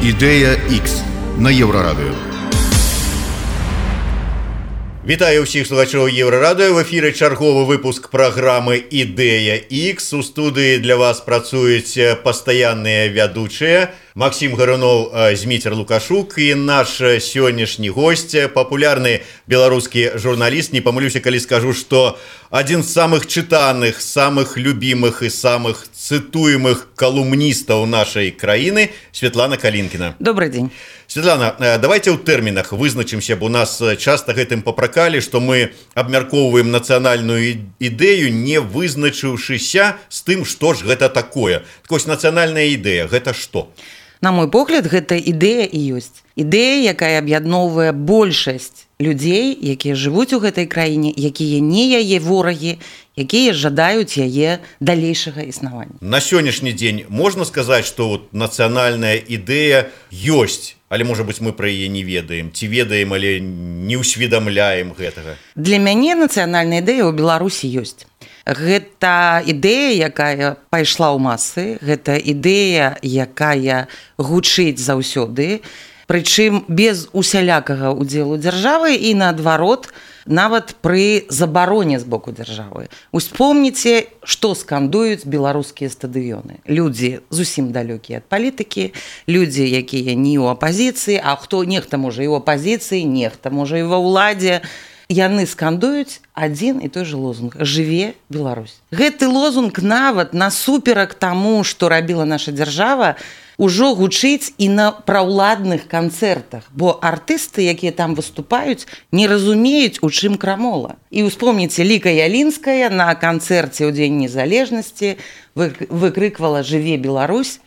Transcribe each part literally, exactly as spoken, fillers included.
Ідэя Х на Еўрарадыё. Вітаю ўсіх слухачоў Еўрарадыё. В эфіры чарговы выпуск праграмы «Ідэя Х». У студыі для вас працуюць пастаянныя вядучыя Максим Гарунов, Зміцер Лукашук і наш сённяшні госць, папулярны беларускі журналіст. Не памылюся, калі скажу, што адзін з самых чытаных, самых любімых і самых цытуемых калумністаў нашай краіны Светлана Калінкіна. Добрый день. Светлана, давайте ў тэрмінах вызначымся, бо нас часта гэтым папракалі, што мы абмяркоўваем нацыянальную ідэю, не вызначыўшыся з тым, што ж гэта такое. Так вось, нацыянальная ідэя, гэта што? На мой погляд, гэта ідэя і ёсць. Ідэя, якая аб'ядноўвае большасць людзей, якія жывуць у гэтай краіне, якія не яе ворагі, якія жадаюць яе далейшага існавання. На сённяшні дзень можна сказаць, што вот нацыянальная ідэя ёсць, але, можа быць, мы пра яе не ведаем, ці ведаем, але не ўсведамляем гэтага. Для мяне нацыянальная ідэя ў Беларусі ёсць. Гэта ідэя, якая пайшла ў масы, гэта ідэя, якая гучыць заўсёды, прычым без усялякага ўдзелу дзяржавы і, наадварот, нават пры забароне з боку дзяржавы. Успомніце, што скандуюць беларускія стадыёны. Людзі зусім далёкія ад палітыкі, людзі, якія не ў апазіцыі, а хто нехта можа і ў апазіцыі, нехта можа і ва ўладзе. Яны скандуюць адзін і той же лозунг «Жыве Беларусь». Гэты лозунг нават насуперак таму, што рабіла наша дзяржава, ужо гучыць і на праўладных канцэртах, бо артысты, якія там выступаюць, не разумеюць, у чым крамола. І успомніце, Ліка Ялінская на канцэрце ў Дзень незалежнасці выкрыквала «Жыве Беларусь».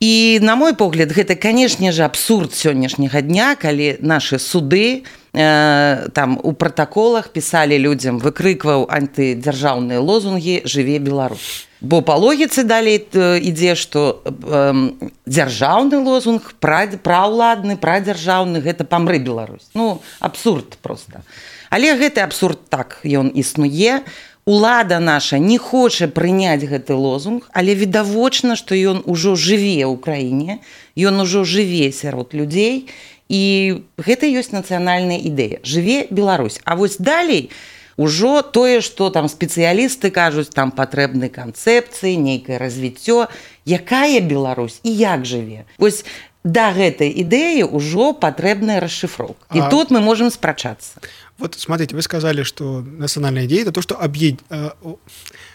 І, на мой погляд, гэта, канешне ж, абсурд сённяшняга дня, калі нашы суды э, там у пратаколах пісалі людзям, выкрыкваў антыдзяржаўныя лозунгі «Жыве Беларусь». Бо па логіцы далей ідзе, што э, дзяржаўны лозунг, праўладны, прадзяржаўны, гэта «Памры Беларусь». Ну, абсурд проста. Але гэты абсурд так, ён існуе. Улада наша не хоча прыняць гэты лозунг, але відавочна, што ён ужо жыве ў краіне, ён ужо жыве сярод людзей, і гэта ёсць нацыянальная ідэя. Жыве Беларусь. А вось далей ужо тое, што там спецыялісты кажуць, там патрэбны канцэпцыі, нейкае развіццё, якая Беларусь і як жыве. Вось да гэтай ідэі ўжо патрэбная расшифроўка. І а... тут мы можем спрачацца. Вот смотрите, вы сказали, что национальная идея – это то, что объед...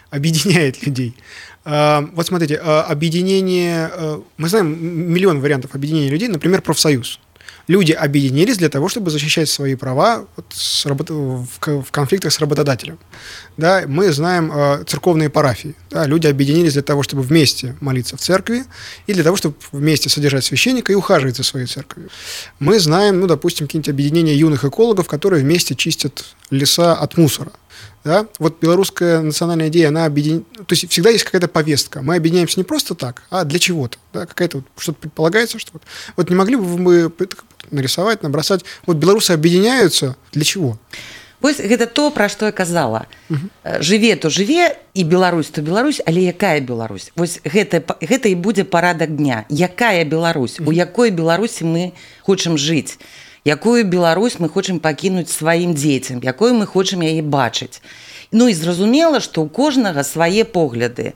объединяет людей. Вот смотрите, объединение… Мы знаем миллион вариантов объединения людей, например, профсоюз. Люди объединились для того, чтобы защищать свои права с работ... в конфликтах с работодателем. Да, мы знаем э, церковные парафии. Да, люди объединились для того, чтобы вместе молиться в церкви и для того, чтобы вместе содержать священника и ухаживать за своей церковью. Мы знаем, ну, допустим, какие-нибудь объединения юных экологов, которые вместе чистят леса от мусора. Да? Вот белорусская национальная идея, она объединяет... То есть всегда есть какая-то повестка. Мы объединяемся не просто так, а для чего-то. Да? Какая-то вот, что-то предполагается, что вот... Вот не могли бы мы нарисовать, набросать... Вот белорусы объединяются для чего? Вось гэта то, пра што я казала. Uh-huh. Жыве то жыве, і Беларусь то Беларусь, але якая Беларусь? Вось гэта, гэта і будзе парадак дня. Якая Беларусь? Uh-huh. У якой Беларусі мы хочам жыць? Якую Беларусь мы хочам пакінуць сваім дзецям? Якую мы хочам яе бачыць? Ну і зразумела, што ў кожнага свае погляды.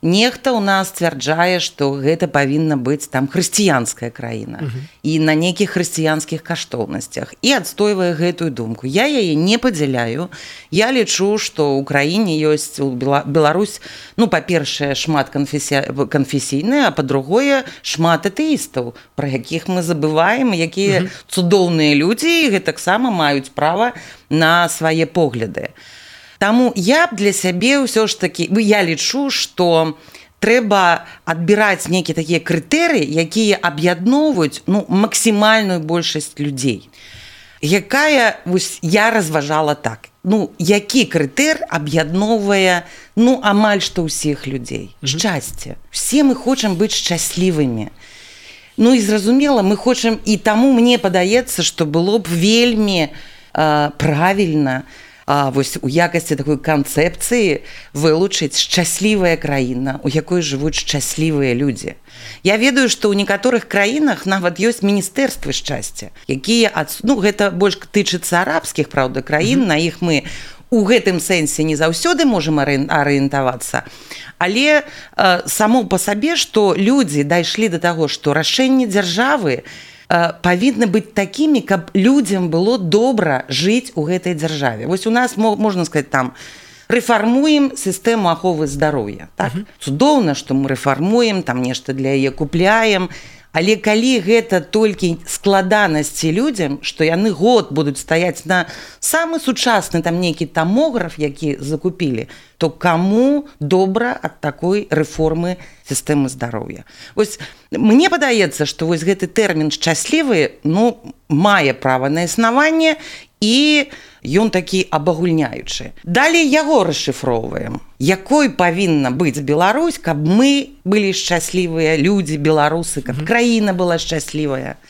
Нехта ў нас сцвярджае, што гэта павінна быць там хрысціянская краіна uh-huh. і на нейкіх хрысціянскіх каштоўнасцях і адстойвае гэтую думку. Я яе не падзяляю. Я лічу, што ў краіне ёсць Беларусь, ну, па-першае, шмат канфесі... канфесійная, а па-другое, шмат атэістаў, пра якіх мы забываем, якія uh-huh. цудоўныя людзі і гэтаксама маюць права на свае погляды. Таму я б для сябе ўсё ж такі, я лічу, што трэба адбіраць нейкія такія крытэрыі, якія аб'ядноўваюць, ну, максімальную большасць людзей. Якая, вось, я разважала так, ну, які крытэр аб'ядноўвае, ну, амаль што ўсіх людзей. Шчасце. Все мы хочам быць шчаслівымі. Ну, і зразумела, мы хочам, і таму мне падаецца, што было б вельмі э, правільна а вось у якасці такой канцэпцыі вылучыць шчаслівая краіна, у якой жывуць шчаслівыя людзі. Я ведаю, што ў некаторых краінах нават ёсць міністэрствы шчасця, якія ад... ну, гэта больш тычыцца арабскіх, праўда, краін, mm-hmm. на іх мы у гэтым сэнсе не заўсёды можам арыентавацца, але э, само па сабе, што людзі дайшлі да таго, што рашэнні дзяржавы э, павінны быць такімі, каб людзям было добра жыць у гэтай дзяржаве. Вось у нас, можна сказаць, там рэфармуем сістэму аховы здароўя. Так? Uh-huh. Цудоўна, што мы рэфармуем, там нешта для яе купляем, але калі гэта толькі складанасці людзям, што яны год будуць стаяць на самы сучасны там нейкі тамограф, які закупілі, то каму добра ад такой рэформы сістэмы здароўя. Вось мне падаецца, што вось гэты тэрмін шчаслівы, ну, мае права на існаванне, і ён такі абагульняючы. Далей яго расшыфроўваем. Якой павінна быць Беларусь, каб мы былі шчаслівыя людзі, беларусы, каб mm-hmm. краіна была шчаслівая.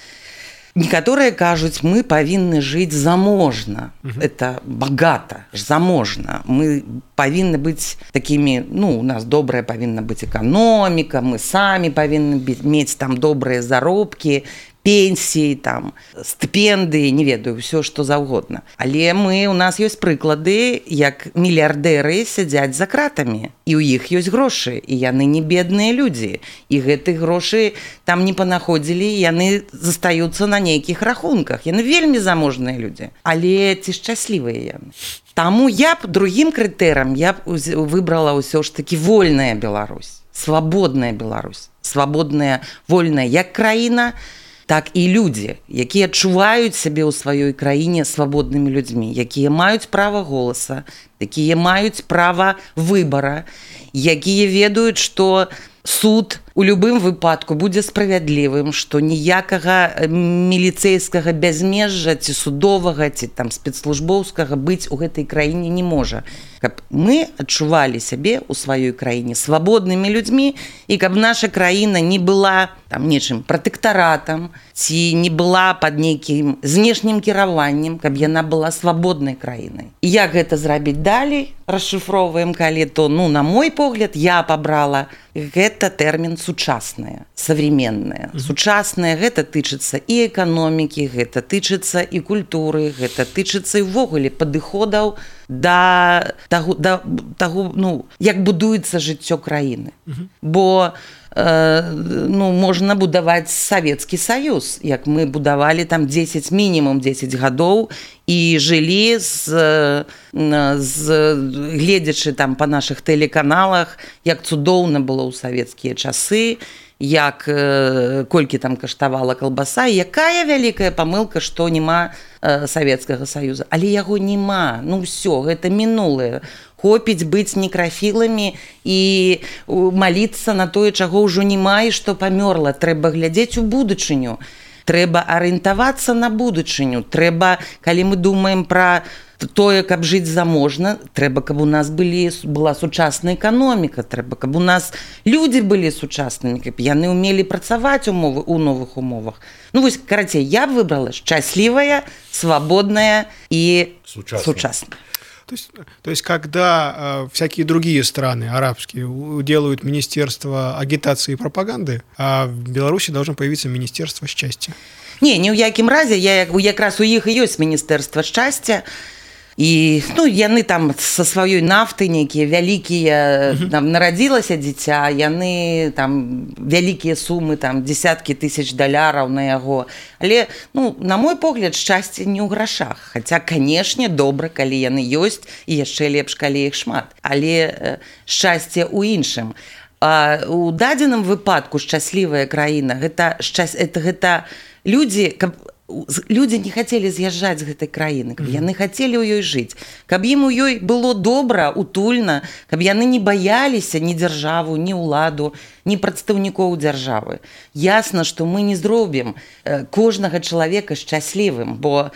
Некаторыя кажуць, мы павінны жыць заможна. Mm-hmm. Это богата, заможна. Мы павінны быць такімі, ну, у нас добрая павінна быць эканоміка, мы самі павінны мець там добрыя заробкі, пенсіі, там, стыпендыі, не ведаю, ўсё, што заўгодна. Але мы, у нас ёсць прыклады, як мільярдэры сядзяць за кратамі, і ў іх ёсць грошы, і яны не бедныя людзі, і гэтых грошы там не панаходзілі, яны застаюцца на нейкіх рахунках, яны вельмі заможныя людзі, але ці шчаслівыя яны. Таму я б другім крытэрам я б выбрала ўсё ж такі вольная Беларусь, свабодная Беларусь, свабодная, вольная як краіна, так і людзі, якія адчуваюць сябе ў сваёй краіне свабоднымі людзьмі, якія маюць права голаса, якія маюць права выбара, якія ведаюць, што суд у любым выпадку будзе справядлівым, што ніякага міліцэйскага бязмежжа ці судовага, ці там спецслужбоўскага быць у гэтай краіне не можа. Каб мы адчувалі сябе ў сваёй краіне свабоднымі людзьмі, і каб наша краіна не была там нечым пратэктаратам, ці не была пад нейкім знешнім кіраваннем, каб яна была свабоднай краінай. І як гэта зрабіць далей, расшыфроўваем, калі то, ну, на мой погляд, я пабрала гэта тэрмін сучаснае, современнае. Mm-hmm. Сучаснае гэта тычыцца і эканомікі, гэта тычыцца і культуры, гэта тычыцца і ўвогуле падыходаў да таго, да таго, ну, як будуецца жыццё краіны. Mm-hmm. Бо ну, можна будаваць Савецкі Саюз, як мы будавалі там дзесяць, мінімум дзесяць гадоў і жылі з, з гледзячы там па нашых тэлеканалах, як цудоўна было ў савецкія часы, як колькі там каштавала калбаса, і якая вялікая памылка, што няма Савецкага Саюза. Але яго няма, ну ўсё, гэта мінулае. Хопіць быць некрафіламі і маліцца на тое, чаго ўжо няма і што памёрла. Трэба глядзець у будучыню. Трэба арыентавацца на будучыню. Трэба, калі мы думаем пра тое, каб жыць заможна, трэба, каб у нас былі, была сучасная эканоміка, трэба, каб у нас людзі былі сучаснымі, каб яны ўмелі працаваць умовы у новых умовах. Ну вось, карацей, я б выбрала шчаслівая, свабодная і сучасная. То есть, то есть когда э, всякие другие страны арабские делают министерство агитации и пропаганды, а в Беларуси должно появиться министерство счастья. Не, ні ў якім разе, я якраз у іх і ёсць міністэрства шчасця. І, ну, яны там са сваёй нафты нейкія вялікія, там нарадзілася дзіця, яны там вялікія сумы, там дзесяткі тысяч даляраў на яго. Але, ну, на мой погляд, шчасце не ў грашах. Хаця, канешне, добра, калі яны ёсць, і яшчэ лепш, калі іх шмат. Але шчасце ў іншым. А у дадзеным выпадку шчаслівая краіна, гэта, шчас... это, гэта людзі, каб людзі не хацелі з'язджаць з гэтай краіны, каб яны хацелі ў ёй жыць, каб ім у ёй было добра, утульна, каб яны не баяліся ні дзяржаву, ні ўладу, ні прадстаўнікоў дзяржавы. Ясна, што мы не зробім кожнага чалавека шчаслівым, бо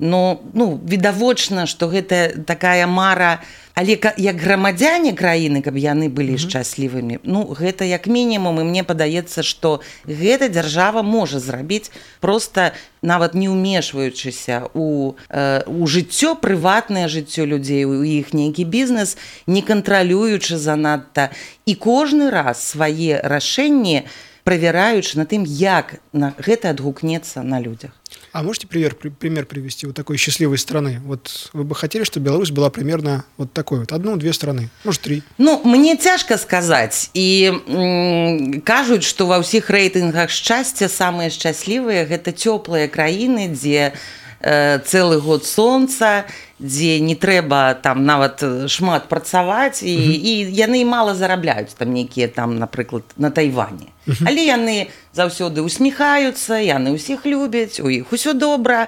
но ну відавочна, што гэта такая мара, але як грамадзяне краіны, каб яны былі mm-hmm. шчаслівымі, ну гэта як мінімум, і мне падаецца, што гэта дзяржава можа зрабіць, проста нават не ўмешваючыся у, э, у жыццё, прыватнае жыццё людзей, у іх нейкі бізнес, не кантралюючы занадта, і кожны раз свае рашэнні правяраючы на тым, як на гэта адгукнецца на людзях. А можете пример, пример привести вот такой счастливой страны? Вот вы бы хотели, чтобы Беларусь была примерно вот такой вот, одну-две страны, может, три? Ну, мне цяжка сказаць. І м, кажуць, што ва ўсіх рэйтынгах шчасця самыя шчаслівыя гэта цёплыя краіны, дзе э, цэлы год сонца, дзе не трэба там нават шмат працаваць, і, uh-huh. і яны мала зарабляюць, там нейкія там, напрыклад, на Тайване. Uh-huh. Але яны заўсёды усміхаюцца, яны ўсіх любяць, у іх усё добра,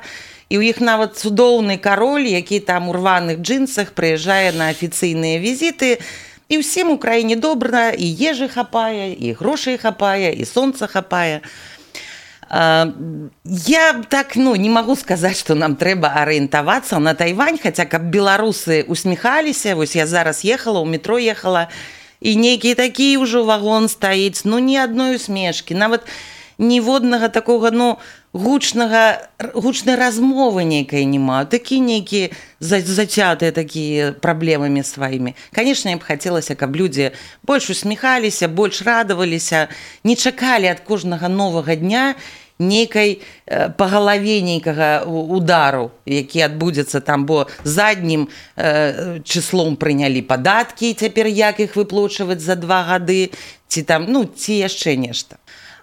і ў іх нават цудоўны кароль, які там у рваных джинсах прыязджае на афіцыйныя візіты, і ўсім у краіне добра, і ежы хапае, і грошай хапае, і сонца хапае. Я так ну, не магу сказаць, што нам трэба арыентавацца на Тайвань, хаця каб беларусы усміхаліся, вось я зараз ехала, у метро ехала, і нейкі такі ўжо вагон стаіць, ну ні адной усмешкі, нават ніводнага такога, ну, гучнага, гучнай размовы нейкай няма, такі нейкі зацятыя такія праблемамі сваімі. Канешне, я б хацелася, каб людзі больш усміхаліся, больш радаваліся, не чакалі ад кожнага новага дня нейкай э, па галаве нейкага удару, які адбудзецца там, бо заднім э, чыслом прынялі падаткі, цяпер як іх выплачваць за два гады, ці там, ну, ці яшчэ нешта.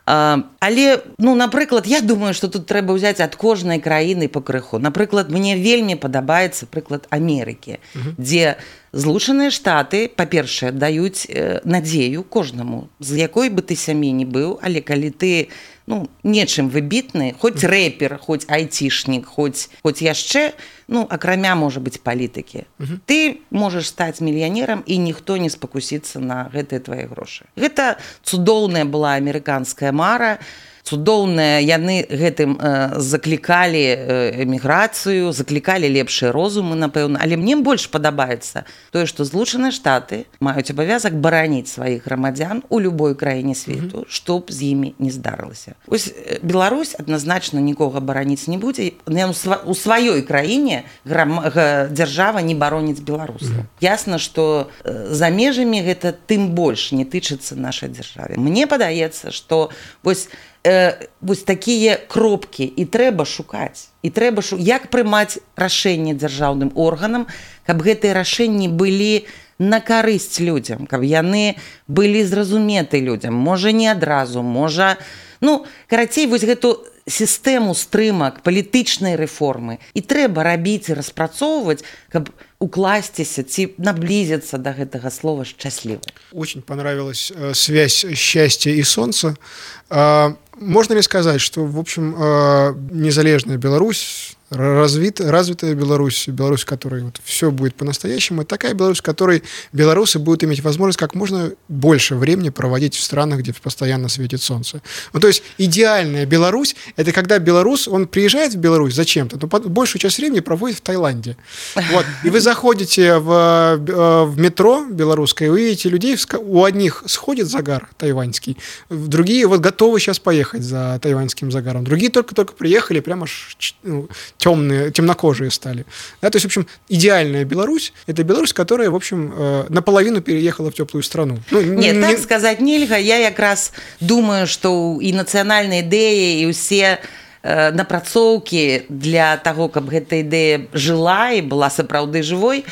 Uh, але, ну, напрыклад, я думаю, што тут трэба ўзяць ад кожнай краіны па крыху. Напрыклад, мне вельмі падабаецца прыклад Амерыкі, uh-huh. дзе Злучаныя Штаты, па-першае, даюць э, надзею кожнаму, з якой бы ты сям'і не быў, але калі ты ну, нечым выбітны, хоць рэпер, хоць айцішнік, хоць, хоць яшчэ, ну, акрамя, можа быць, палітыкі. Uh-huh. Ты можаш стаць мільянерам, і ніхто не спакусіцца на гэтыя твае грошы. Гэта цудоўная была амерыканская мара, цудоўная, яны гэтым э, заклікалі э, эміграцыю, заклікалі лепшыя розумы, напэўна, але мне больш падабаецца тое, што Злучаныя Штаты маюць абавязак бараніць сваіх грамадзян у любой краіне свету, mm-hmm. што б з імі не здарылася. Вось Беларусь адназначна нікога бараніць не будзе, у сваёй краіне грам... дзяржава не бароніць беларусаў. Mm-hmm. Ясна, што за межамі гэта тым больш не тычыцца нашай дзяржаве. Мне падаецца, што вось Э, вось такія кропкі і трэба шукаць, і трэба шу... як прымаць рашэнне дзяржаўным органам, каб гэтыя рашэнні былі на карысць людзям, каб яны былі зразуметы людзям, можа не адразу, можа, ну, карацей, вось гэту сістэму стрымак палітычнай рэформы і трэба рабіць і распрацоўваць, каб укласціся ці наблизиться до гэтага слова «счастливо». Очень понравилась э, связь счастья и солнца. Э, можно ли сказать, что, в общем, э, незалежная Беларусь, развит, развитая Беларусь, Беларусь, в которой вот все будет по-настоящему, это такая Беларусь, в которой белорусы будут иметь возможность как можно больше времени проводить в странах, где постоянно светит солнце. Ну, то есть идеальная Беларусь – это когда белорус, он приезжает в Беларусь зачем-то, но большую часть времени проводит в Таиланде. Вот. И вы заходите в, в метро белорусское, и вы видите людей, у одних сходит загар тайваньский, другие вот готовы сейчас поехать за тайваньским загаром, другие только-только приехали, прямо ну, темные, темнокожие стали. Да, то есть, в общем, идеальная Беларусь – это Беларусь, которая, в общем, э, наполовину переехала в теплую страну. Ну, Нет, не... так сказать нельга. Я як раз думаю, что и национальная идея, и все э, напрацоўкі для того, каб гэта ідэя жыла і была сапраўды жывой,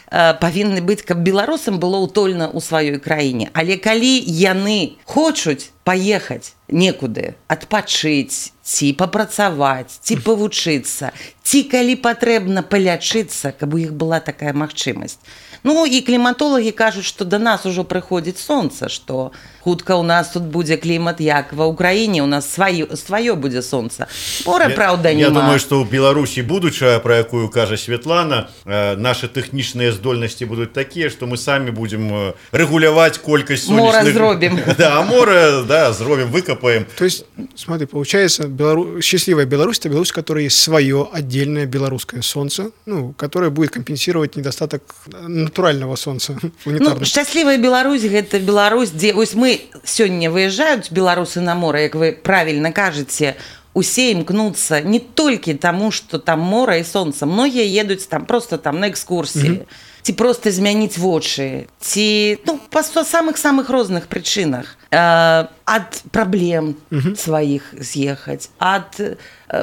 э, павінны быць, каб беларусам было утульна ў сваёй краіне. Але калі яны хочуць паехаць некуды, адпачыць, ці папрацаваць, ці павучыцца, ці калі патрэбна палячыцца, каб у іх была такая магчымасць. Ну і кліматолагі кажуць, што да нас ужо прыходзіць сонца, што хутка ў нас тут будзе клімат як ва ўкраіне, у нас сваё, сваё будзе сонца. Мора, праўда, нема. Я думаю, што ў Беларусі будучая, пра якую кажа Светлана, э, нашы тэхнічныя здольнасці будуць такія, што мы самі будзем рэгуляваць колькасць сонечных... Мора зробім. Да, мора, да, да, зробим, выкопаем. То есть, смотри, получается, Белору... счастливая Беларусь – это Беларусь, у которой есть свое отдельное белорусское солнце, ну, которое будет компенсировать недостаток натурального солнца. Ну, счастливая Беларусь – это Беларусь, где вот мы сегодня выезжают, белорусы на море, как вы правильно кажете, усе імкнуцца не толькі таму, што там мора і сонца. Многія едуць там просто там на экскурсіі, mm-hmm. ці просто змяніць вочы, ці ну, па самых-самых розных прычынах. Э, ад праблем mm-hmm. сваіх з'ехаць, ад, э,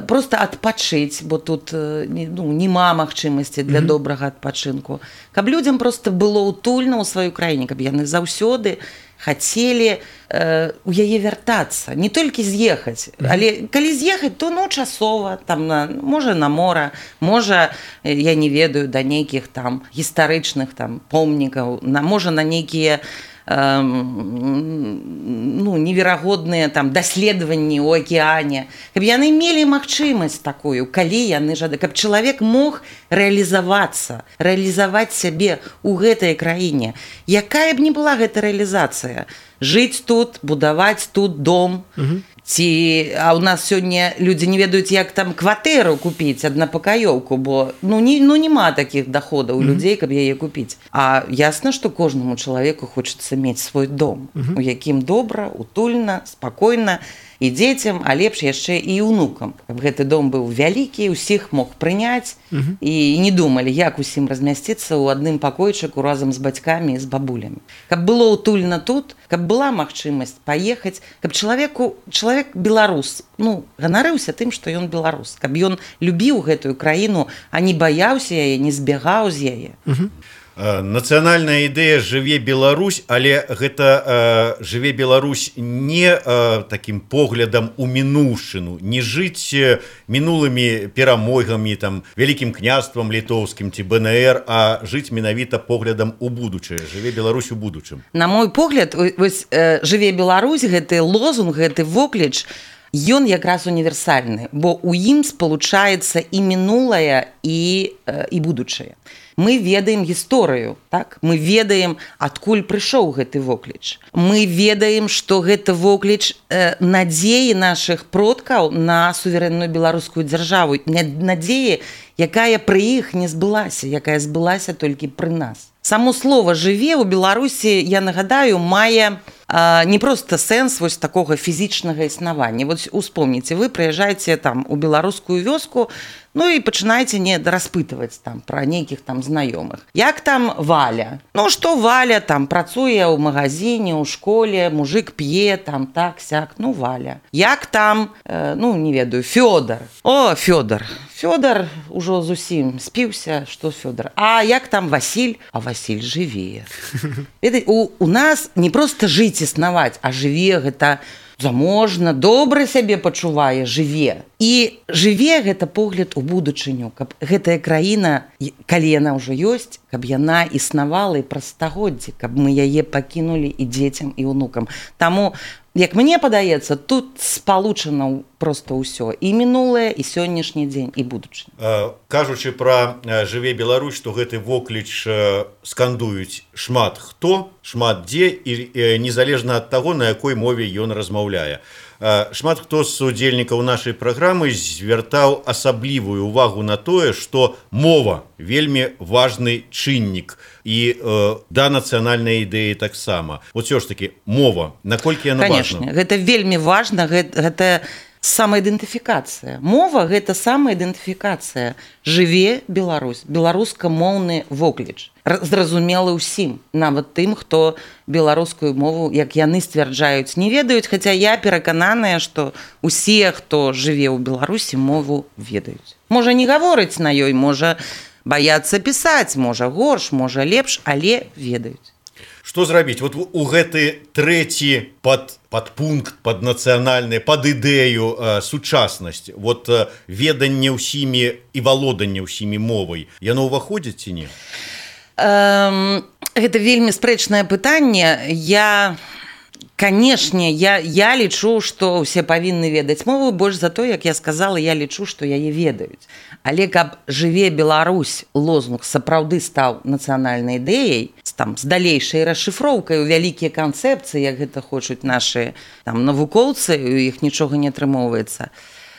просто адпачыць, бо тут э, ну, няма магчымасці для mm-hmm. добрага адпачынку. Каб людзям просто было утульна ў сваёй краіне, каб яны заўсёды хацелі э, у яе вяртацца, не толькі з'ехаць, mm-hmm. але калі з'ехаць, то ну часова, там на, можа на мора, можа, я не ведаю, да нейкіх там гістарычных там помнікаў, на, можа на нейкія э, ну, неверагодныя там даследаванні ў акеане, каб яны мелі магчымасць такую, калі яны жады, каб чалавек мог рэалізавацца, рэалізаваць сябе ў гэтай краіне. Якая б не была гэта рэалізацыя? Жыць тут, будаваць тут дом, угу. ці а ў нас сёння людзі не ведаюць, як там кватэру купіць, аднапакаёўку, бо ну, не, ну няма такіх даходаў у угу. людзей, каб яе купіць. А ясна, што кожнаму чалавеку хочацца мець свой дом, угу. у якім добра, утульна, спакойна, і дзецям, а лепш яшчэ і ўнукам. Каб гэты дом быў вялікі, усіх мог прыняць uh-huh. і не думалі, як усім размясціцца ў адным пакойчыку разам з бацькамі і з бабулямі. Каб было утульна тут, каб была магчымасць паехаць, каб чалавеку, чалавек беларус, ну, ганарыўся тым, што ён беларус, каб ён любіў гэтую краіну, а не баяўся яе, не збегаў з яе. Uh-huh. Нацыянальная ідэя жыве Беларусь, але гэта э, жыве Беларусь не э, такім поглядам у мінуўшчыну, не жыць мінулымі перамогамі, там, вялікім княствам літоўскім ці бэ эн ер, а жыць менавіта поглядам у будучае. Жыве Беларусь у будучым. На мой погляд, вось, э, жыве Беларусь, гэты лозунг, гэты вокліч, ён якраз універсальны, бо ў ім спалучаецца і мінулае, і, э, і будучае. Мы ведаем гісторыю, так? Мы ведаем, адкуль прыйшоў гэты вокліч. Мы ведаем, што гэта вокліч э, надзеі нашых продкаў на суверэнную беларускую дзяржаву, надзеі, якая пры іх не збылася, якая збылася толькі пры нас. Само слово «жыве» ў Беларусі, я нагадаю, мае э, не проста сэнс вось такога фізічнага існавання. Вот успомніце, вы прыязджаеце там у беларускую вёску, ну і пачынаеце не распытваць там пра нейкіх там знаёмых. Як там Валя? Ну што Валя там працуе ў магазине, ў школе, мужик п'е там так-сяк, ну Валя. Як там, э, ну не ведаю, Фёдор. О, Фёдор. Фёдор ужо зусім спіўся, што Фёдор. А як там Васіль? А Васіль жыве. У, у нас не проста жыць існаваць, а жыве гэта заможна, добра сябе пачувае, жыве. І жыве гэта погляд у будучыню, каб гэтая краіна, калі яна ўжо ёсць, каб яна існавала і праз стагоддзі, каб мы яе пакінулі і дзецям, і ўнукам. Таму, як мне падаецца, тут спалучана проста ўсё. І мінулае, і сённяшні дзень, і будучыня. Кажучы пра «Жыве Беларусь», што гэты вокліч скандуюць шмат хто, шмат дзе, і незалежна ад таго, на якой мове ён размаўляе. Шмат хто з удзельнікаў нашай праграмы звяртаў асаблівую увагу на тое, што мова вельмі важны чыннік і э, да нацыянальнай ідэі таксама. Вот все ж таки мова, наколькі яна важна? Конечно, гэта вельмі важна, гэта, гэта самаідэнтыфікацыя. Мова гэта самаідэнтыфікацыя. Жыве Беларусь, беларускамоўны вокліч. Зразумелы ўсім, нават тым, хто беларускую мову, як яны сцвярджаюць, не ведаюць, хаця я перакананая, што усе, хто жыве ў Беларусі, мову ведаюць. Можа не гаворыць на ёй, можа баяцца пісаць, можа горш, можа лепш, але ведаюць. Што зрабіць? Вот у гэты трэці пад, падпункт, пад нацыянальны, пад ідэю э, сучаснасць, вот э, веданне ўсімі і валоданне ўсімі мовай, яно ўваходзіць ці не? Эм, гэта вельмі спрэчнае пытанне. Я Канешне, я, я лічу, што ўсе павінны ведаць мову, больш за то, як я сказала, я лічу, што яе ведаюць. Але каб «Жыве Беларусь» лозунг сапраўды стаў нацыянальнай ідэяй, там, з далейшай расшыфроўкай у вялікія канцэпцыі, як гэта хочуць нашы там, навукоўцы, у іх нічога не атрымоўваецца,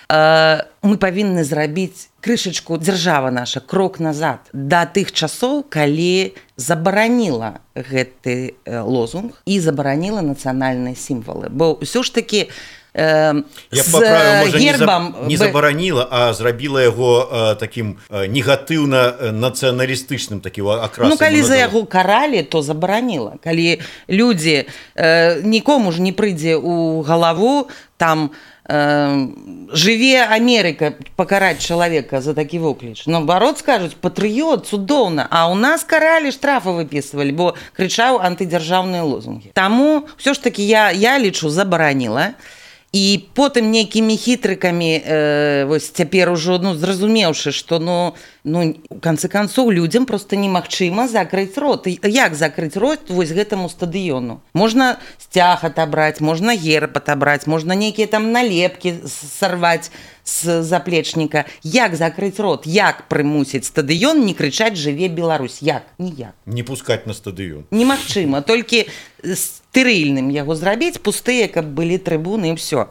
мы павінны зрабіць крышачку, дзяржава наша, крок назад да тых часоў, калі забараніла гэты лозунг і забараніла нацыянальныя сімвалы. Бо ўсё ж такі э, Я з поправлю, можа, гербам... не, за, не забараніла, а зрабіла яго э, такім э, негатыўна-нацыяналістычным такім акрасам. Ну, калі за яго каралі, то забараніла. Калі людзі, э, нікому ж не прыйдзе ў галаву, там, «Жыве Амерыка» пакараць чалавека за такі вокліч. Наоборот, скажуць, патрыёт, цудоўна. А ў нас каралі, штрафы выпісвалі, бо крычаў антыдзяржаўныя лозунгі. Таму ўсё ж такі я, я лічу, забараніла. І потым нейкімі хітрыкамі, э, вось цяпер ужо, ну, зразумеўшы, што, ну, ну, у канцы канцоў людзям проста немагчыма закрыць рот. І як закрыць рот вось гэтаму стадыёну? Можна сцяг атабраць, можна герб атабраць, можна нейкія там налепкі сарваць з заплечніка. Як закрыць рот? Як прымусіць стадыён не крычаць «Жыве Беларусь»? Як? Ніяк. Не пускаць на стадыён. Немагчыма, толькі стэрыльным яго зрабіць, пустыя, каб былі трыбуны і ўсё.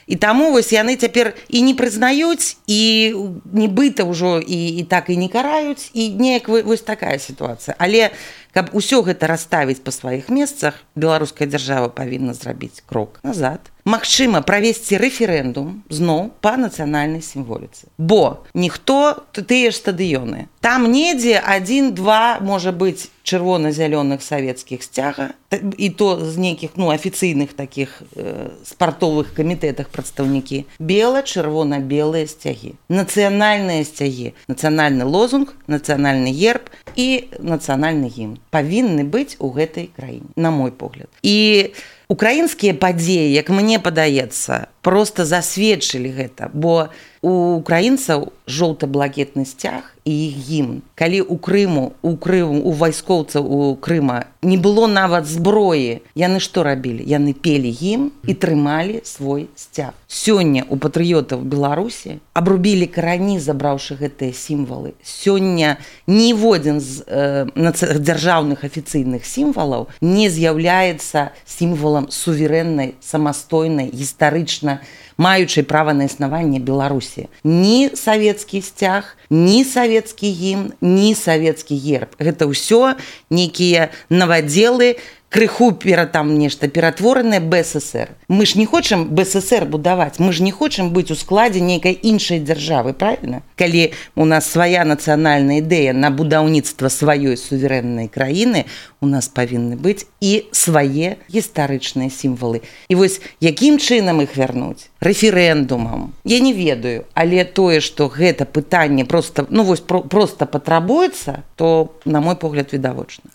І таму вось яны цяпер і не прызнаюць, і нібыта ўжо і, і так і не караюць, і неяк вось такая сітуацыя. Але каб усё гэта расставіць па сваіх месцах, беларуская дзяржава павінна зрабіць крок назад. Магчыма, правесці рэферэндум зноў па нацыянальнай сімволіцы. Бо ніхто, тыя ж стадыёны. Там недзе адзін-два, можа быць, чырвона-зялёных савецкіх сцяга, і то з нейкіх, ну, афіцыйных такіх э, спартовых камітэтах прадстаўнікі. Бела-чырвона-белыя сцягі. Нацыянальныя сцягі. Нацыянальны лозунг, нацыянальны герб і нацыянальны гімн павінны быць у гэтай краіне, на мой погляд. І украінскія падзеі, як мне падаецца, проста засведчылі гэта, бо у украінцаў жоўта-блакітны сцяг і іх гімн. Калі ў Крыму, у Крыму, у вайскоўцаў у Крыма не было нават зброі, яны што рабілі? Яны пелі гімн і трымалі свой сцяг. Сёння у патрыётаў Беларусі абрубілі карані, забраўшы гэтыя сімвалы. Сёння ніводзін з э, дзяржаўных афіцыйных сімвалаў не з'яўляецца сімвалам суверэннай, самастойнай, гістарычна маючай права на існаванне Беларусі. Ні савецкі сцяг, ні савецкі гімн, ні савецкі герб. Гэта ўсё нейкія навадзелы, крыху пера там нешта ператворанае БССР. Мы ж не хочам БССР будаваць, мы ж не хочам быць у складзе нейкай іншай дзяржавы, правильно? Калі у нас свая нацыянальная ідэя на будаўніцтва сваёй суверэннай краіны, у нас павінны быць і свае гістарычныя сімвалы. І вось якім чынам іх вярнуць? Рэферэндумам. Я не ведаю, але тое, што гэта пытанне просто, ну, вось, про, просто патрабуецца, то, на мой погляд, відавочна.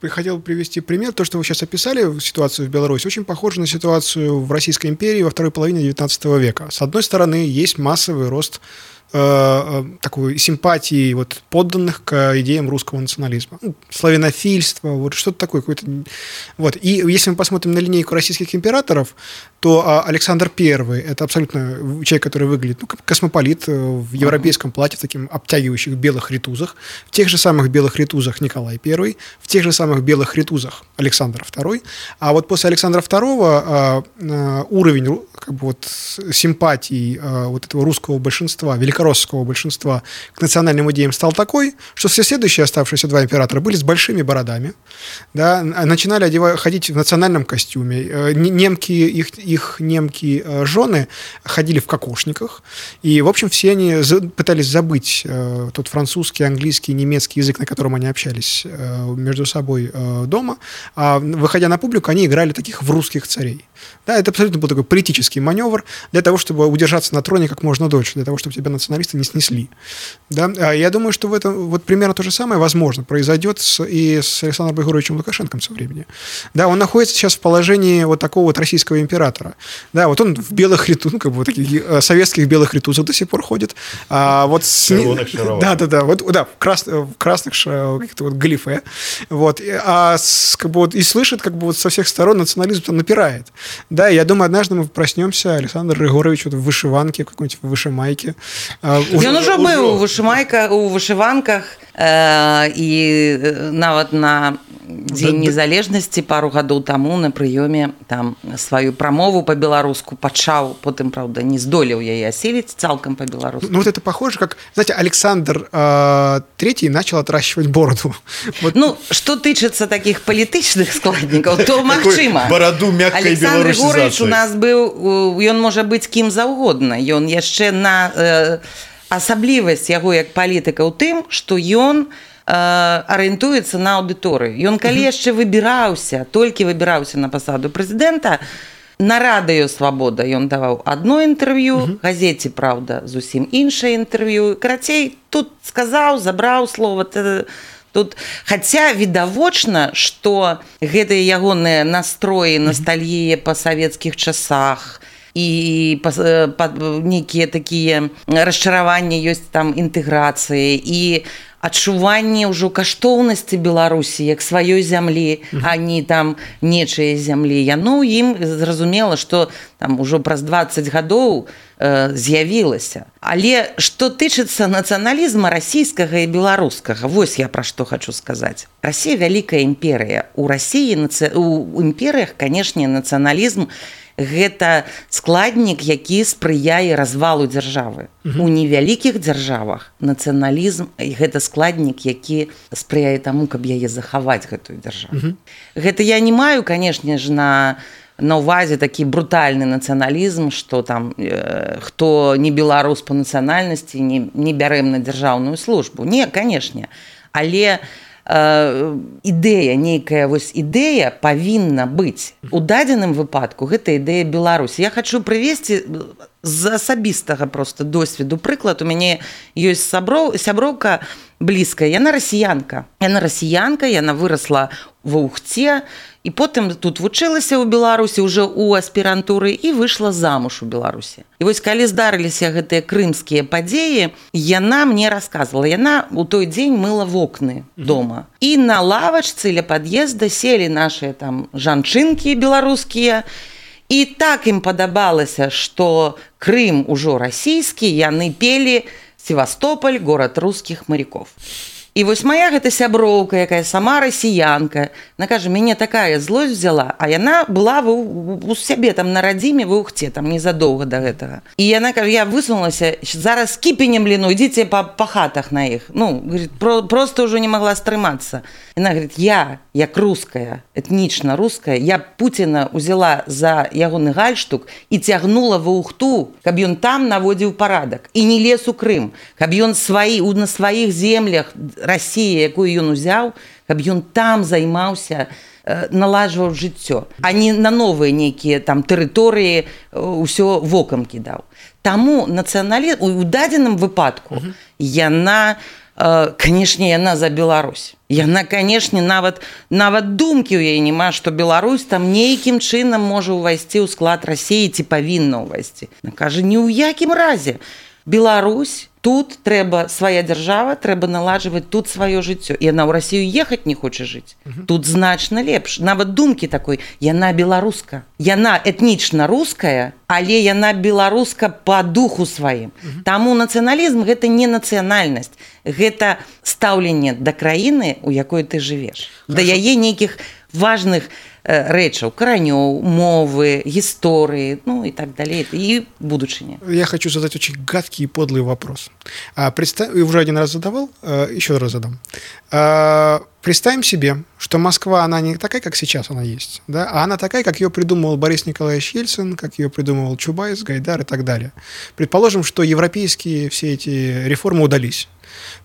Хотел привести пример. То, что вы сейчас описали, ситуацию в Беларуси, очень похоже на ситуацию в Российской империи во второй половине девятнадцатого века. С одной стороны, есть массовый рост э, такой симпатии вот, подданных к идеям русского национализма. Ну, славянофильство, вот что-то такое. Какое-то... Вот. И если мы посмотрим на линейку российских императоров, то Александр Первый – это абсолютно человек, который выглядит ну, как космополит в европейском платье, в таких обтягивающих белых ритузах. В тех же самых белых ритузах Николай Первый, в тех же самых белых ритузах Александр Второй. А вот после Александра Второго уровень как бы, вот, симпатии вот этого русского большинства, великороссского большинства к национальным идеям стал такой, что все следующие оставшиеся два императора были с большими бородами, да, начинали одевать, ходить в национальном костюме. Немки, их, их немки жены ходили в кокошниках. И, в общем, все они пытались забыть тот французский, английский, немецкий язык, на котором они общались между собой дома. А выходя на публику, они играли таких в русских царей. Да, это абсолютно был такой политический маневр для того, чтобы удержаться на троне как можно дольше, для того, чтобы тебя националисты не снесли. Да? Я думаю, что в этом вот примерно то же самое, возможно, произойдет с, и с Александром Григорьевичем Лукашенко со временем. Да, он находится сейчас в положении вот такого вот российского императора. Да, вот он в белых ритузах, ну, как бы вот таких советских белых ритузах до сих пор ходит. А вот с... Да, да, да, вот, да, в, крас... в красных каких-то вот галифе. Вот, а с, как бы вот, и слышит, как бы вот со всех сторон национализм там напирает. Да, я думаю, однажды мы проснемся, Александр Григорьевич вот в вышиванке, в какой-нибудь вышимайке. Ён уже быў у вышымайках, у вышыванках, э, і нават на Дзень незалежнасці пару гадоў таму на прыёме там сваю прамову по-беларуску пачаў, потым, правда, не здолеў яе аселіць цалкам по-беларуску. Ну вот это похоже, как, знаете, Александр э, Третий начал отращивать бороду. Вот. Ну, что тычыцца таких палітычных складнікаў, то магчыма. Бороду мяккай беларусізацыі. Александр Григорьевич у нас быў, ён можа быць кім заўгодна, ён яшчэ на э, асаблівасць яго як палітыка ў тым, што ён арыентуецца на аўдыторыю. Ён калі яшчэ выбіраўся, толькі выбіраўся на пасаду прэзідэнта, на радыё «Свабода» ён даваў адно інтэрв'ю, газеце «Праўда» зусім іншае інтэрв'ю. Карацей, тут сказаў, забраў слова. Тут, хаця відавочна, што гэтыя ягоныя настроі, ностальгія па савецкіх часах, і нейкія такія расчараванні ёсць там інтэграцыі і адчуванне ўжо каштоўнасці Беларусі як сваёй зямлі, а не там нечае зямлі. Яно ў ім зразумела, што там ужо праз дваццаць гадоў э, з'явілася. Але што тычыцца нацыяналізма расійскага і беларускага, вось я пра што хачу сказаць. Расія вялікая імперыя. У Расіі, у імперыях, канешне, нацыяналізм гэта складнік, які спрыяе развалу дзяржавы. У невялікіх дзяржавах нацыяналізм гэта складнік, які спрыяе таму, каб яе захаваць, гэтую дзяржаву. Гэта я не маю, канешне ж, на на ўвазе такі брутальны нацыяналізм, што там э, хто не беларус па нацыянальнасці, не, не бярэм на дзяржаўную службу. Не, канешне. Але ідэя, нейкая вось ідэя павінна быць. У дадзеным выпадку гэта ідэя Беларусі. Я хачу прывесці з асабістага просто досведу прыклад. У мяне ёсць сяброў, сяброўка блізкая, яна расіянка. Яна расіянка, яна вырасла ва Ухце, і потым тут вучылася ў Беларусі ўжо ў аспірантуры і выйшла замуж у Беларусі. І вось калі здарыліся гэтыя крымскія падзеі, яна мне расказвала, яна ў той дзень мыла вокны дома. І на лавачцы ля пад'езда селі нашыя там жанчынкі беларускія, і так ім падабалася, што Крым ужо расійскі, яны пелі «Севастополь, город русских моряков». І вось моя гэта сяброўка, якая сама расіянка, она кажа, мяне такая злосць взяла, а яна была у, у сябе там на радзіме ва Ухце, там незадоўга да гэтага. І яна кажа, я высунулася, зараз кіпенем ліну, ідзіце па, па хатах на іх. Ну, говорит, про, просто ўжо не могла стрымацца. Яна говорит, я, як руская, этнічна руская, я Пуціна узяла за ягоны гальштук і цягнула ва Ухту, каб ён там наводзіў парадак. І не лез у Крым, каб ён сваі, на сваіх землях Расія, якую ён узяў, каб ён там займаўся, наладжваў жыццё, а не на новыя нейкія там тэрыторыі ўсё вокам кідаў. Таму нацыяналізм у дадзеным выпадку яна, канешне, яна за Беларусь. Яна, канешне, нават нават думкі ў яе няма, што Беларусь там нейкім чынам можа ўвайсці ў склад Расіі ці павінна ўвайсці. Яна кажа, ні ў якім разе. Беларусь, тут трэба свая дзяржава, трэба наладжваць тут сваё жыццё. І яна ў Расію ехаць не хоча жыць. Тут значна лепш. Нават думкі такой, яна беларуска. Яна этнічна руская, але яна беларуска па духу сваім. Таму нацыяналізм гэта не нацыянальнасць, гэта стаўленне да краіны, у якой ты жывеш. Да яе нейкіх важных рэчаў, каранёў, мовы, гісторыі, ну и так далее, и будучыня. Я хочу задать очень гадкий и подлый вопрос. А, представь, уже один раз задавал, еще раз задам. А, представим себе, что Москва, она не такая, как сейчас она есть, да, а она такая, как ее придумывал Борис Николаевич Ельцин, как ее придумывал Чубайс, Гайдар и так далее. Предположим, что европейские все эти реформы удались.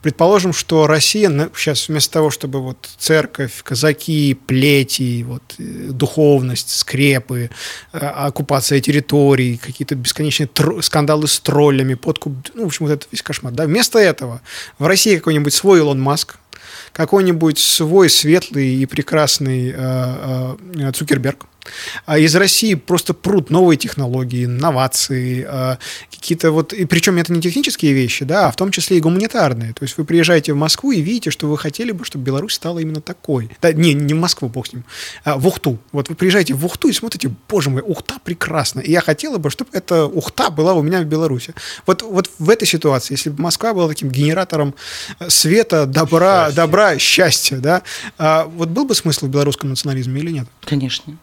Предположим, что Россия сейчас вместо того, чтобы вот церковь, казаки, плети, вот, духовность, скрепы, оккупация территорий, какие-то бесконечные тр... скандалы с троллями, подкуп, ну, в общем, вот это весь кошмар. Да? Вместо этого в России какой-нибудь свой Илон Маск, какой-нибудь свой светлый и прекрасный э, э, Цукерберг. А из России просто прут новые технологии, инновации, э, какие-то вот... И причем это не технические вещи, да, а в том числе и гуманитарные. То есть вы приезжаете в Москву и видите, что вы хотели бы, чтобы Беларусь стала именно такой. Да, не, не в Москву, бог с ним, а в Ухту. Вот вы приезжаете в Ухту и смотрите, боже мой, Ухта прекрасна. И я хотела бы, чтобы эта Ухта была у меня в Беларуси. Вот, вот в этой ситуации, если бы Москва была таким генератором света, добра, счастья, добра, счастья, да, а вот был бы смысл в белорусском национализме или нет? Конечно.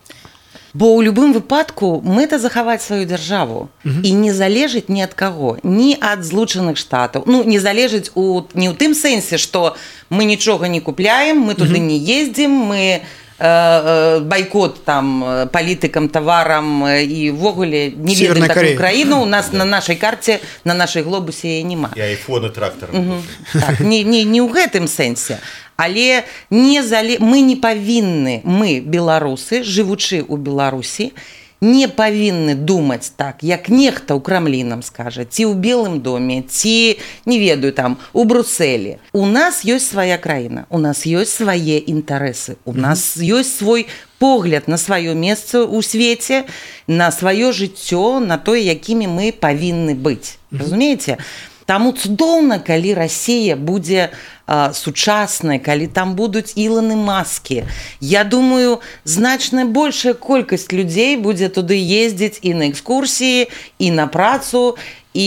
Бо ў любым выпадку мэта захаваць сваю дзяржаву uh-huh. і не залежыць ні ад каго, ні ад злучаных штатаў. Ну, не залежыць у, не ў тым сэнсе, што мы нічога не купляем, мы туды uh-huh. не ездзім, мы э, э, байкот там палітыкам, таварам і ўвогуле не ведаем такую краіну. У нас на нашай карце, на нашай глобусе няма. І айфоны трактара. Uh-huh. Так, не, не, не ў гэтым сэнсе. Але не зале... мы не павінны, мы, беларусы, жывучы ў Беларусі, не павінны думаць так, як нехта ў Крамлі нам скажа, ці ў Белым доме, ці, не ведаю, там, у Брусэлі. У нас ёсць свая краіна, у нас ёсць свае інтарэсы, у нас ёсць свой погляд на сваё месца ў свеце, на сваё жыццё, на тое, якімі мы павінны быць. Разумееце? Таму цудоўна, калі Расія будзе а, сучаснай, калі там будуць Іланы Маскі. Я думаю, значна большая колькасць людзей будзе туды ездзіць і на экскурсіі, і на працу, і,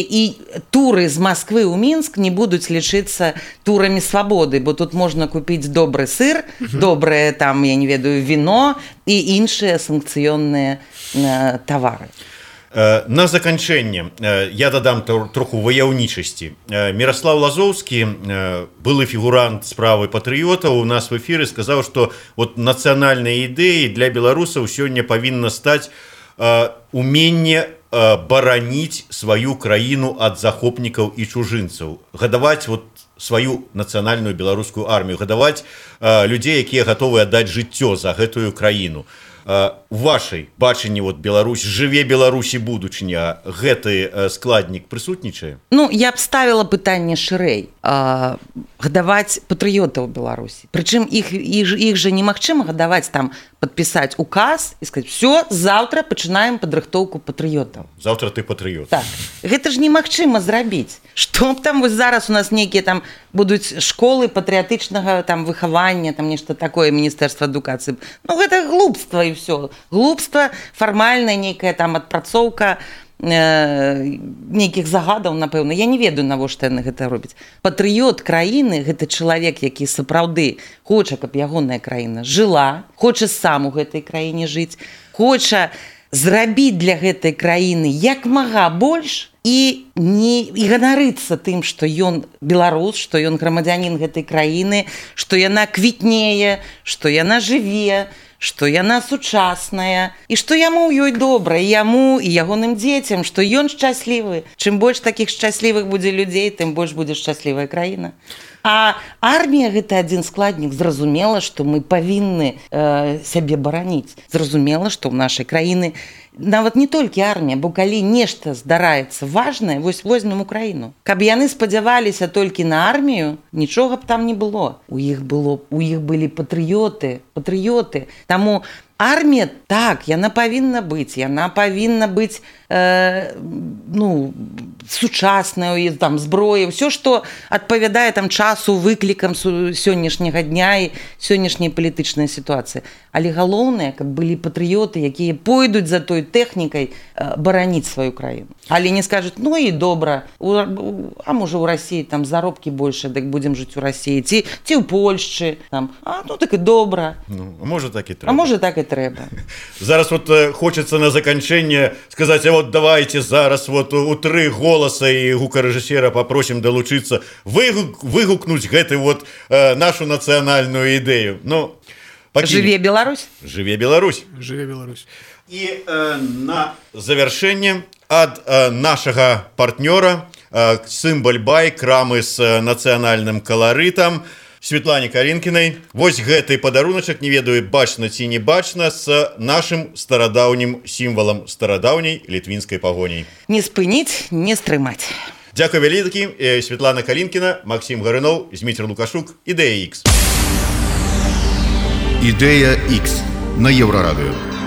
і туры з Масквы ў Мінск не будуць лічыцца турамі свабоды, бо тут можна купіць добры сыр, uh-huh. добрае там, я не ведаю, віно і іншыя санкцыённыя э, тавары. На заканчэнне я дадам троху ваяўнічасці. Міраслаў Лазоўскі, былы фігурант справы патрыётаў, у нас в эфіры сказаў, што вот нацыянальныя ідэі для беларусаў сёння павінна стаць уменне бараніць сваю краіну ад захопнікаў і чужынцаў, гадаваць вот сваю нацыянальную беларускую армію, гадаваць людзей, якія гатовы аддаць жыццё за гэтую краіну. У вашай бачанні вот Беларусь, жыве Беларусі будучыня, гэты складнік прысутнічае? Ну, я б ставіла пытанне шырэй. А, гадаваць патрыётаў Беларусі. Прычым іх, іх, іх жа немагчыма гадаваць там, падпісаць указ і сказаць, все, завтра пачынаем падрыхтоўку патрыётаў. Завтра ты патрыёт. Так. Гэта ж немагчыма зрабіць. Што б там вось зараз у нас нейкія там будуць школы патрыятычнага там выхавання, там нешта такое, міністэрства адукацыі. Ну, гэта глупства і все. Глупства, фармальная нейкая там адпрацоўка э, нейкіх загадаў, напэўна. Я не ведаю, навошта яны гэта робяць. Патрыёт краіны – гэта чалавек, які сапраўды хоча, каб ягоная краіна жыла, хоча сам у гэтай краіне жыць, хоча зрабіць для гэтай краіны як мага больш і не і ганарыцца тым, што ён беларус, што ён грамадзянін гэтай краіны, што яна квітнее, што яна жыве, што яна сучасная і што яму ў ёй добра, і яму і ягоным дзецям, што ён шчаслівы. Чым больш такіх шчаслівых будзе людзей, тым больш будзе шчаслівая краіна. А армія гэта адзін складнік. Зразумела, што мы павінны э, сябе бараніць. Зразумела, што ў нашай краіны нават не толькі армія, бо калі нешта здараецца важнае, вось возьмем Украіну. Каб яны спадзяваліся толькі на армію, нічога б там не было. У іх было, у іх былі патрыёты, патрыёты. Таму армія, так, яна павінна быць, яна павінна быць э, ну, сучасная, там, зброя, ўсё, што адпавядае там часу, выклікам сённяшняга дня і сённяшняй палітычнай сітуацыі. Але галоўнае, каб былі патрыёты, якія пойдуць за той тэхнікай э, бараніць сваю краіну. Але не скажуць, ну і добра, у, а можа ў Расіі там заробкі больше, дык будзем жыць у Расіі, ці, ці ў Польшчы, там, а ну так і добра. Ну, а можа так і трэба. А можа так і трэба. Зараз вот э, хочацца на заканчэнне сказаць, а ну давайте зараз вот у тры голоса і гукарэжысера попросім далучыцца выгук, выгукнуць гэты вот э, нашу нацыянальную ідэю. Ну, Жыве Беларусь. Жыве Беларусь. Жыве Беларусь. І э, на завяршэнне ад э, нашага партнёра э, Сімбаль-бай, крамы з э, нацыянальным каларытам, Светлане Калінкінай. Вось гэты падаруначак, не ведаю, бачна ці не бачна, з нашым старадаўнім сімвалам старадаўняй літвінскай пагоняй. Не спыніць, не стрымаць. Дзякуй вялікі. Светлана Калінкіна, Максім Гарыноў, Зміцер Лукашук, Ідэя Ікс. Ідэя Ікс на Еўрарадыё.